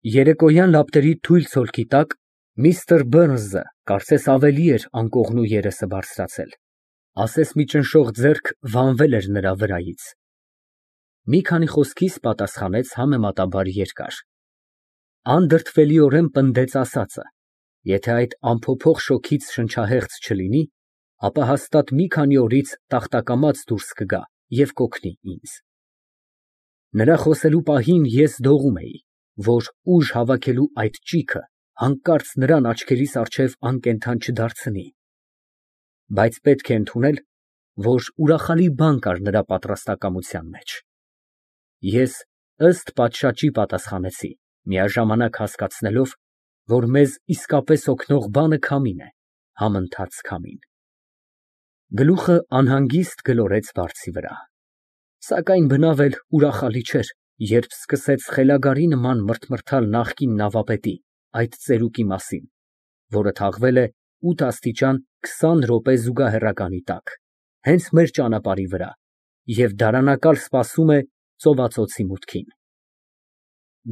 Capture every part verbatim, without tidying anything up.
Երեկոյան լապտերի թույլ ցոլքի տակ միստր Բըրնսը կարծես ավելի էր անկողնու երեսը բարձրացել, ասես մի ճնշող ձեռք վանվել էր նրա վրայից։ Մի քանի խոսքիս պատասխանեց համեմատաբար երկար, անդրդվելիորեն պնդեց ասածը, եթե այդ անփոփոխ շոգից շնչահեղձ չլինի, ապա հաստատ մի քանի օրից տախտակամած դուրս կգա և կօգնի ինձ։ Նրա խոսելու պահին ես դողում էի, որ ուժ հավաքելու այդ ճիգը հանկարծ նրան աչքերիս առջև անկենդան չդարձնի, բայց պետք է ընդունել, որ ուրախալի բան կար նրա պատրաստակամության մեջ։ Ես ըստ պատշաճի պատասխանեցի, միաժամանակ հասկացնելով, որ մեզ իսկապես օգնող բանը քամին է, համընթաց քամին։ Գլուխը անհանգիստ գլորեց վարձի վրա, սակայն բնավ էլ ուրախալի չէր, երբ սկսեց խելագարի նման մրթմրթալ նախկին նավապետի այդ ծերուկի մասին, որը թաղվել է ութ աստիճան քսան րոպե զուգահեռականի տակ, հենց մեր ճանապարհի վրա և դարանակալ սպասում է ծովածոցի մուտքին։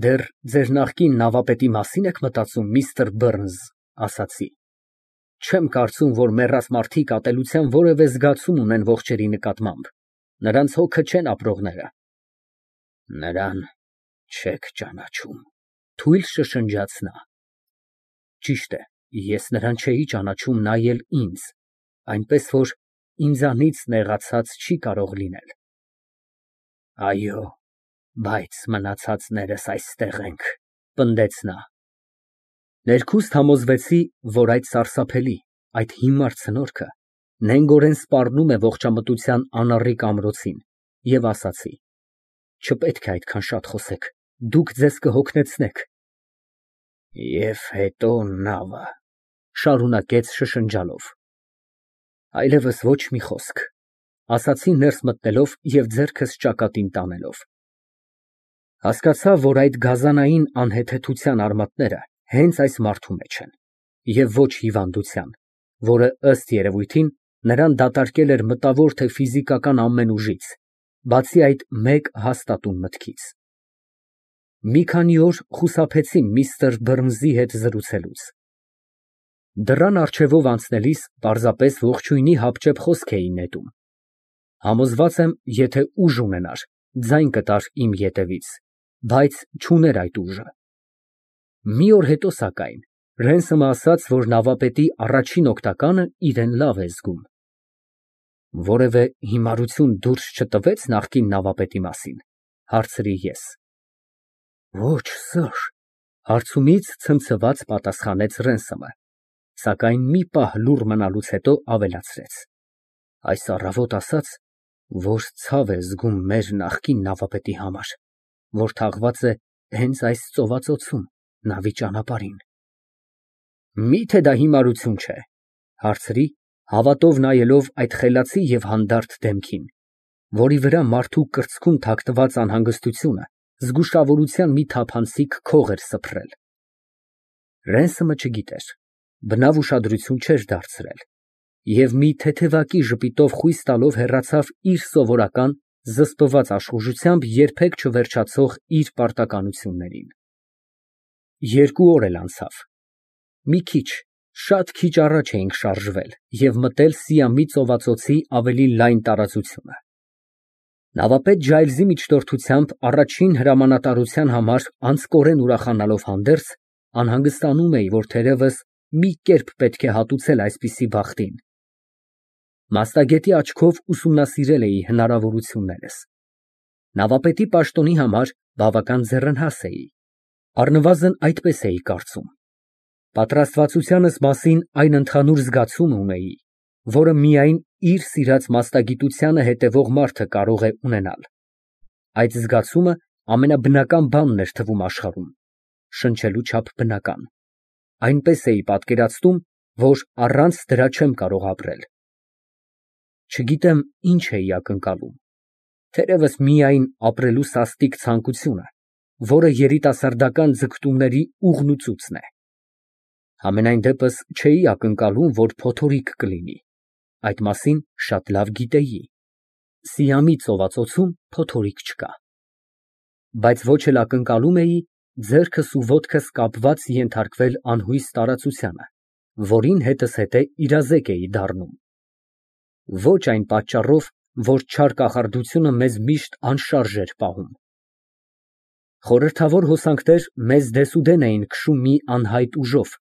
Դեռ ձեր նախկին նավապետի մասի՞ն եք մտածում, միստր Բըրնս, ասացի։ Չեմ կարծում, որ մեռած մարդիկ ատելության որևէ զգացում ունեն ողջերի նկատմամբ, նրանց հոգը չեն ապրողները։ Նրան չեք ճանաչում, թույլ շշնջաց նա։ Ճիշտ է, ես նրան չէի ճանաչում նա էլ ինձ, այնպես որ ինձանից նեղացած չի կարող լինել։ Այո, բայց մնացածներս այստեղ ենք, պնդեց նա։ Ներքուստ համոզվեցի, որ այդ սարսափելի, այդ հիմար ցնորքը նենգորեն սպառնում է ողջամտության անառիկ ամրոցին և ասացի. չպետք է այդքան շատ խոսեք, դուք ձեզ կհոգնեցնեք։ Եվ հետո նավը, շարունակեց շշնջալով։ Այլևս ոչ մի խոսք, ասացի ներս մտնելով և ձեռքս ճակատին տանելով։ Հասկացա, որ այդ գազանային անհեթեթության արմատները հենց այս մարդու մեջ են, և ոչ հիվանդության, որը, ըստ երևույթին, նրան դատարկել էր մտավոր թե ֆիզիկական ամեն ուժից, բացի այդ մեկ հաստատուն մտքից։ Մի քանի օր խուսափեցի միստր Բըրնսի հետ զրուցելուց։ Դռան առջևով անցնելիս պարզապես ողջույնի հապճեպ խոսք էի նետում։ Համոզված եմ, եթե ուժ ունենար, ձայն կտար իմ ետևից, բայց չուներ այդ ուժը։ Մի օր հետո, սակայն, Ռենսոմը ասաց, որ նավապետի առաջին օգնականը իրեն լավ է զգում։ Որևէ հիմարություն դուրս չտվեց նախկին նավապետի մասին, հարցրի ես։ Ոչ, սըր, հարցումից ցնցված պատասխանեց Ռենսոմը, սակայն մի պահ լուռ մնալուց հետո ավելացրեց. Այս առավոտ ասաց, որ ցավ է զգում մեր նախկին նավապետի համար, որ թաղված է հենց այս ծովածոցում, նավի ճանապարհին։ Մի՞թե դա հիմարություն չէ, հարցրի, հավատով նայելով այդ խելացի և հանդարտ դեմքին, որի վրա մարդու կրծքում թաքնված անհանգստությունը զգուշավորության մի թափանցիկ քող էր սփռել։ Ռենսոմը չգիտեր, բնավ ուշադրություն չէր դարձրել և մի թեթևակի ժպիտով խույս տալով հեռացավ իր սովորական զսպված աշխուժությամբ երբեք չվերջացող իր պարտականություններին։ Երկու օր էլ անցավ։ Մի քիչ, շատ քիչ առաջ էինք շարժվել և մտել Սիամի ծովածոցի ավելի լայն տարածությունը։ Նավապետ Ջայլզի միջնորդությամբ առաջին հրամանատարության համար անձկորեն ուրախանալով հանդերձ, անհանգստանում էի, որ թերևս մի կերպ պետք է հատուցել այսպիսի բախտին։ Մասնագետի աչքով ուսումնասիրել էի հնարավորություններս։ Նավապետի պաշտոնի համար բավական ձեռնհաս էի, առնվազն այդպես էի կարծում։ Պատրաստվածությանս մասին այն ընդհանուր զգացումը ունեի, որը միայն իր սիրած մասնագիտությանը հետևող մարդը կարող է ունենալ։ Այդ զգացումը ամենաբնական բանն էր թվում աշխարհում, շնչելու չափ բնական։ Այնպես էի պատկերացնում, որ առանց դրա չեմ կարող ապրել։ Չգիտեմ ինչ էի ակնկալում, թերևս միայն ապրելու սաստիկ ցանկությունը, որը երիտասարդական ձգտումների ուղն ու ծուծն է։ Համենայն դեպս չէի ակնկալում, որ փոթորիկ կլինի, այդ մասին շատ լավ գիտեի։ Սիամի ծովածոցում փոթորիկ չկա։ Բայց ոչ էլ ակնկալում էի, ձեռքս ու ոտքս կապված ենթարկվել անհույս տարածությանը, որին հետզհետե իրազեկ էի դառնում։ Ոչ այն պատճառով, որ չար կախարդությունը մեզ միշտ անշարժ էր պահում։ Խորհրդավոր հոսանքներ մեզ դեսուդեն էին քշում մի անհայտ ուժով,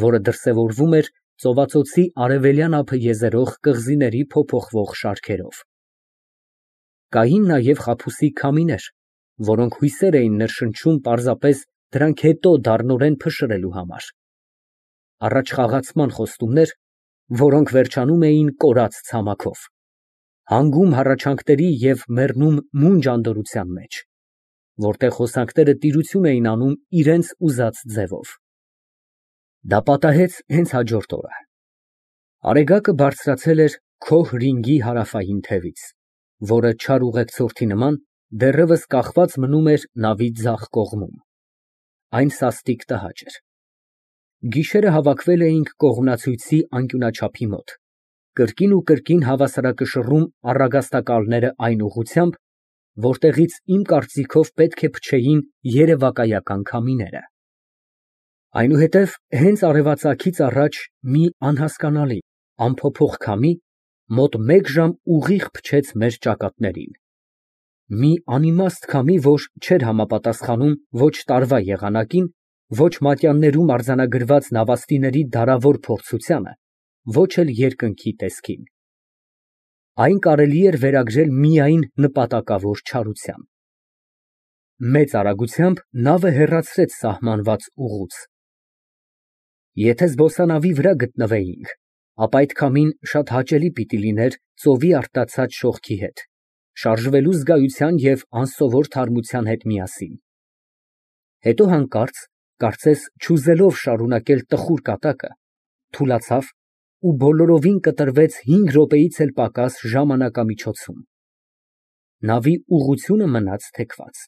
որը դրսևորվում էր ծովածոցի արևելյան ափը եզերող կղզիների փոփոխվող շարքերով։ Կային նաև խաբուսի քամիներ, որոնք հույսեր էին ներշնչում պարզապես դրանք հետո դառնորեն փշրելու համար, առաջխաղացման խոստումներ, որոնք վերջանում էին կորած ցամաքով, հանգում հառաչանքների և մեռնում մունջ անդորրության մեջ, որտեղ հոսանքները տիրություն էին անում իրենց ուզած ձևով։ Դա պատահեց հենց հաջորդ օրը։ Արեգակը բարձրացել էր քոհ ռինգի հարավային թևից, որը չար ուղեկցորդի նման դեռևս կախված մնում էր նավի ձախ կողմում։ Այն սաստիկ տհաճ էր։ Գիշերը հավաքվել էինք կողմնացույցի անկյունաչափի մոտ, կրկին ու կրկին հավասարակշռում առագաստակալները այն ուղղությամբ, որտեղից իմ կարծիքով պետք է փչեին երևակայական քամիները։ Այնուհետև հենց արևածագից առաջ մի անհասկանալի, անփոփոխ քամի մոտ մեկ ժամ ուղիղ փչեց մեր ճակատներին, մի անիմաստ քամի, որ չէր համապատասխանում ոչ տարվա եղանակին, ոչ մատյաններում արձանագրված նավաստիների դարավոր փորձությանը, ոչ էլ երկնքի տեսքին։ Այն կարելի էր վերագրել միայն նպատակավոր չարության։ Մեծ արագությամբ նավը հեռացրեց սահմանված ուղուց։ Եթե զբոսանավի վրա գտնվեինք, ապա այդ քամին շատ հաճելի պիտի լիներ ծովի արտացած շողքի հետ, շարժվելու զգայության և անսովոր թարմության հետ միասին։ Հետո հանկարծ, կարծես չուզելով շարունակել տխուր կատակը, թուլացավ ու բոլորովին կտրվեց հինգ րոպեից էլ պակաս ժամանակամիջոցում։ Նավի ուղղությունը մնաց թեքված։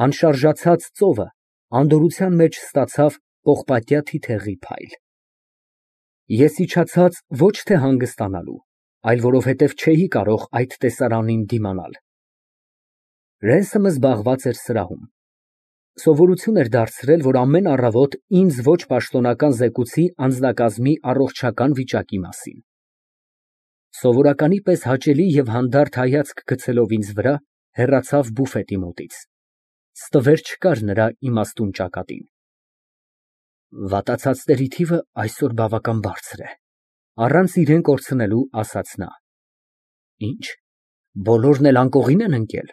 Անշարժացած ծովը անդորրության մեջ ստացավ պողպատյա թիթեղի փայլ։ Ես իջացած ոչ թե հանգստանալու, այլ որովհետև չէի կարող այդ տեսարանին դիմանալ։ Ռենսըմը զբաղված էր սրահում։ Սովորություն էր դարձրել, որ ամեն առավոտ ինձ ոչ պաշտոնական զեկուցի անձնակազմի առողջական վիճակի մասին։ Սովորականի պես հաճելի և հանդարտ հայացք գցելով ինձ վրա, հեռացավ բուֆետի մոտից։ Ստվեր չկար նրա իմաստուն ճակատին։ Վատացածների թիվը այսօր բավական բարձր է, առանց իրան կորցնելու ասաց նա։ Ինչ, բոլորն էլ անկողին են ընկել։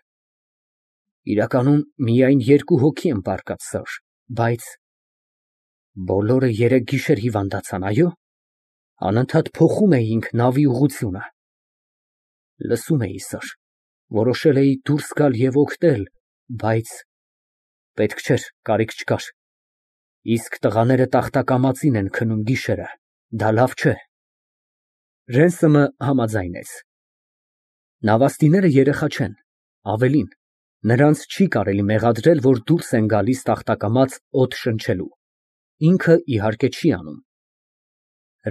Իրականում միայն երկու հոգի են պառկած, սըր, բայց… Բոլորը երեկ գիշեր հիվանդացան, այո՞։ Անընդհատ փոխում էինք նավի ուղղությունը։ Լսում էի, սըր, որոշել էի դուրս գալ և օգնել, բայց… Պետք չէր, կարիք չկար։ Իսկ տղաները տախտակամածին են քնում գիշերը, դա լավ չէ։ Ռենսըմը համաձայնեց։ Նավաստիները երեխա չեն, ավելին, նրանց չի կարելի մեղադրել, որ դուրս են գալիս տախտակամած օդ շնչելու, ինքը իհարկե չի անում։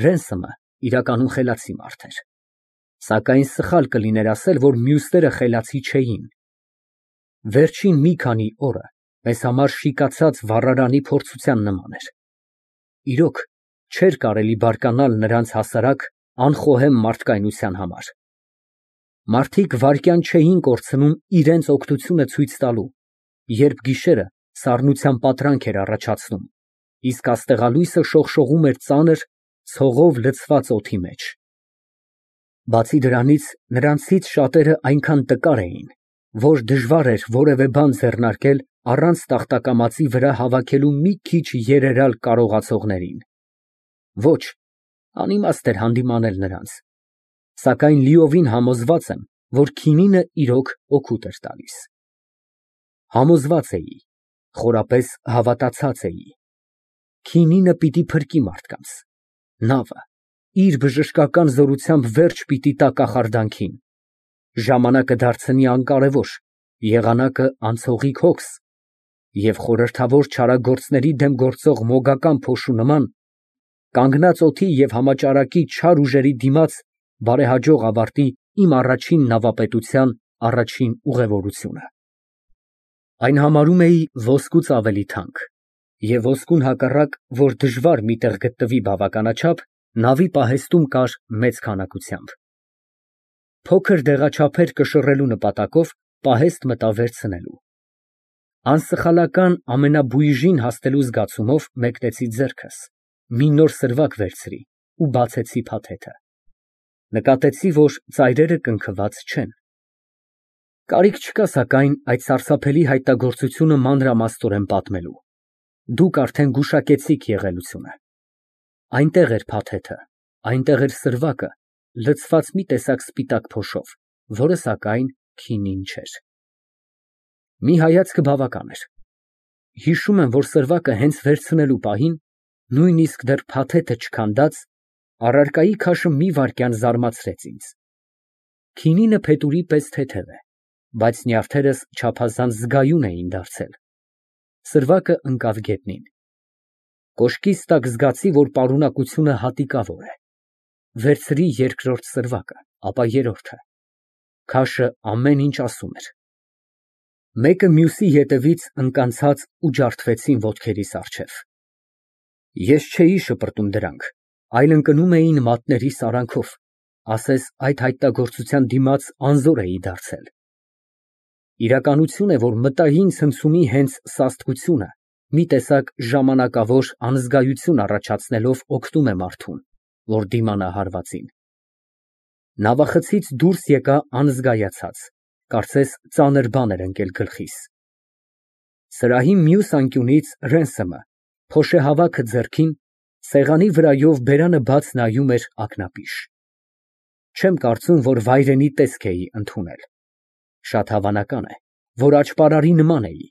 Ռենսըմը իրականում խելացի մարդ էր, սակայն սխալ կլիներ ասել, որ մյուսները խելացի չէին։ Վերջին մի քանի օրը մեզ համար շիկացած վառարանի փորձության նման էր։ Իրոք, չէր կարելի բարկանալ նրանց հասարակ, անխոհեմ մարդկայնության համար։ Մարդիկ վայրկյան չէին կորցնում իրենց օգնությունը ցույց տալու, երբ գիշերը սառնության պատրանք էր առաջացնում, իսկ աստեղալույսը շողշողում էր ծանր, ցողով լցված օդի մեջ։ Բացի դրանից, նրանցից շատերը այնքան տկար էին, որ դժվար էր որևէ բան ձեռնարկել առանց տախտակամածի վրա հավաքելու մի քիչ երերալ կարողացողներին։ Ոչ, անիմաստ էր հանդիմանել նրանց, սակայն լիովին համոզված եմ, որ քինինը իրոք օգուտ էր տալիս։ Համոզված էի, խորապես հավատացած էի. քինինը պիտի փրկի մարդկանց, նավը իր բժշկական զորությամբ վերջ պիտի տա կախարդանքին, ժամանակը դարձնի անկարևոր, եղանակը անցողիկ հոգս, և խորհրդավոր չարագործների դեմ գործող մոգական փոշու նման, կանգնած օդի և համաճարակի չար ուժերի դիմաց բարեհաջող ավարտի իմ առաջին նավապետության առաջին ուղևորությունը։ Այն համարում էի ոսկուց ավելի թանկ, և ոսկուն հակառակ, որ դժվար մի տեղ գտնվի բավականաչափ, նավի պահեստում կար մեծ քանակությամբ։ Փոքր դեղաչափեր կշռելու նպատակով պահեստ մտա վերցնելու։ Անսխալական ամենաբույժին հասնելու զգացումով մեկնեցի ձեռքս, մի նոր սրվակ վերցրի ու բացեցի փաթեթը։ Նկատեցի, որ ծայրերը կնքված չեն։ Կարիք չկա, սակայն, այդ սարսափելի հայտնագործությունը մանրամասնորեն պատմելու, դուք արդեն գուշակեցիք եղելությունը։ Այնտեղ էր փաթեթը, այնտեղ էր սրվակը, լցված մի տեսակ սպիտակ փոշով, որը, սակայն, քինին չէր։ Մի հայացքը բավական էր։ Հիշում եմ, որ սրվակը հենց վերցնելու պահին, նույնիսկ դեռ փաթեթը չքանդած, առարկայի քաշը մի վայրկյան զարմացրեց ինձ։ Քինինը փետուրի պես թեթև է, բայց նյարդերս չափազանց զգայուն էին դարձել։ Սրվակը ընկավ գետնին։ Կոշկիս տակ զգացի, որ պարունակությունը հատիկավոր է։ Վերցրի երկրորդ սրվակը, ապա երրորդը։ Քաշը ամեն ինչ ասում էր։ Մեկը մյուսի ետևից ընկանցած ու ջարդվեցին ոտքերիս առջև։ Ես չէի շպրտում դրանք, այլ ընկնում էին մատներիս արանքով, ասես այդ հայտնագործության դիմաց անզոր էի դարձել։ Իրականություն է, որ մտային ցնցումի հենց սաստկությունը մի տեսակ ժամանակավոր անզգայություն առաջացնելով օգնում է մարդուն, որ դիմանա հարվածին։ Նավախցից դուրս եկա անզգայացած, կարծես ծանր բան էր ընկել գլխիս։ Սրահի մյուս անկյունից Ռենսեմը, փոշեհավաքը ձեռքին, սեղանի վրայով բերանը բաց նայում էր ակնապիշ։ Չեմ կարծում, որ վայրենի տեսք էի ընդունել։ Շատ հավանական է, որ աճպարարի նման էի,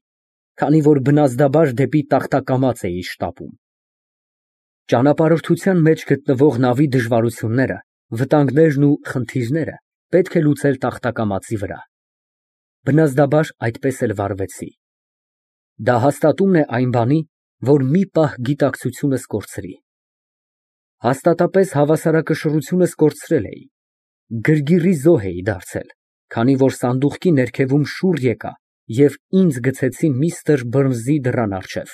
քանի որ բնազդաբար դեպի տախտակամաց էի շտապում։ Ճանապարհորդության մեջ գտնվող նավի դժվարությունները, վտանգներն ու խնդիրները պետք է լուծել տախտակամածի վրա։ Բնազդաբար այդպես էլ վարվեցի։ Դա հաստատումն է այն բանի, որ մի պահ գիտակցությունս կորցրի։ Հաստատապես հավասարակշռությունս կորցրել էի, գրգռի զոհ էի դարձել, քանի որ սանդուղքի ներքևում շուռ եկա և ինձ գցեցին միստր Բըրնսի դռան առջև։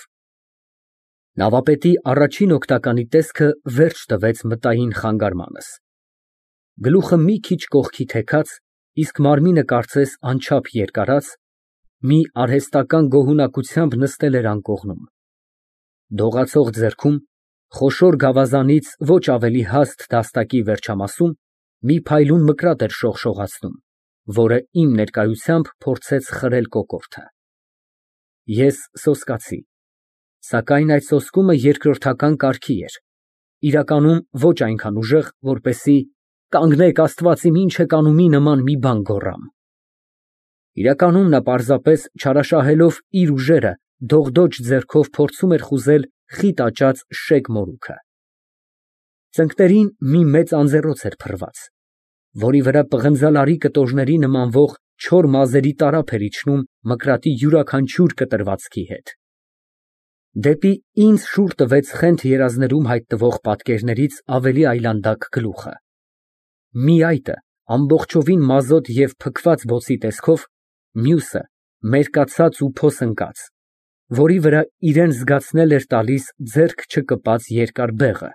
Նավապետի առաջին օգնականի տեսքը վերջ տվեց մտային խանգարմանս։ Գլուխը մի քիչ կողքի թեքած, իսկ մարմինը կարծես անչափ երկարած, մի արհեստական գոհունակությամբ նստել էր անկողնում։ Դողացող ձեռքում, խոշոր գավազանից ոչ ավելի հաստ դաստակի վերջամասում, մի փայլուն մկրատ էր շողշողացնում, որը իմ ներկայությամբ փորձեց խրել կոկորդը։ Ես սոսկացի, սակայն այդ սոսկումը երկրորդական կարգի էր, իրականում ոչ այնքան ուժեղ, որպեսզի «Կանգնեք, Աստված իմ, ինչ եք անումի» նման մի բան գոռամ։ Իրականում նա պարզապես չարաշահելով իր ուժերը, դողդոջ ձեռքով փորձում էր խուզել խիտ աճած շեկ մորուքը։ Ծնկներին մի մեծ անձեռոց էր փռված, որի վրա պղնձալարի կտորների նմանվող չոր մազերի տարափ էր իջնում մկրատի յուրաքանչյուր կտրվածքի հետ։ Դեպի ինձ շուռ տվեց խենթ երազներում հայտնվող պատկերներից ավելի այլանդակ գլուխը։ Մի այտը ամբողջովին մազոտ և փքված բոցի տեսքով, մյուսը մերկացած ու փոսընկած, որի վրա իրան զգացնել էր տալիս ձեռք չկպած երկար բեղը,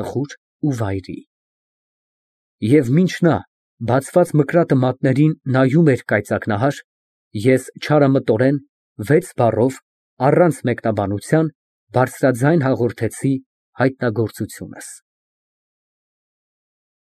տխուր ու վայրի։ Եվ մինչ նա բացված մկրատը մատներին նայում էր կայծակնահար, ես չարամտորեն, վեց բառով, առանց մեկնաբանության, բարձրաձայն հաղորդեցի հայտնագործությունս։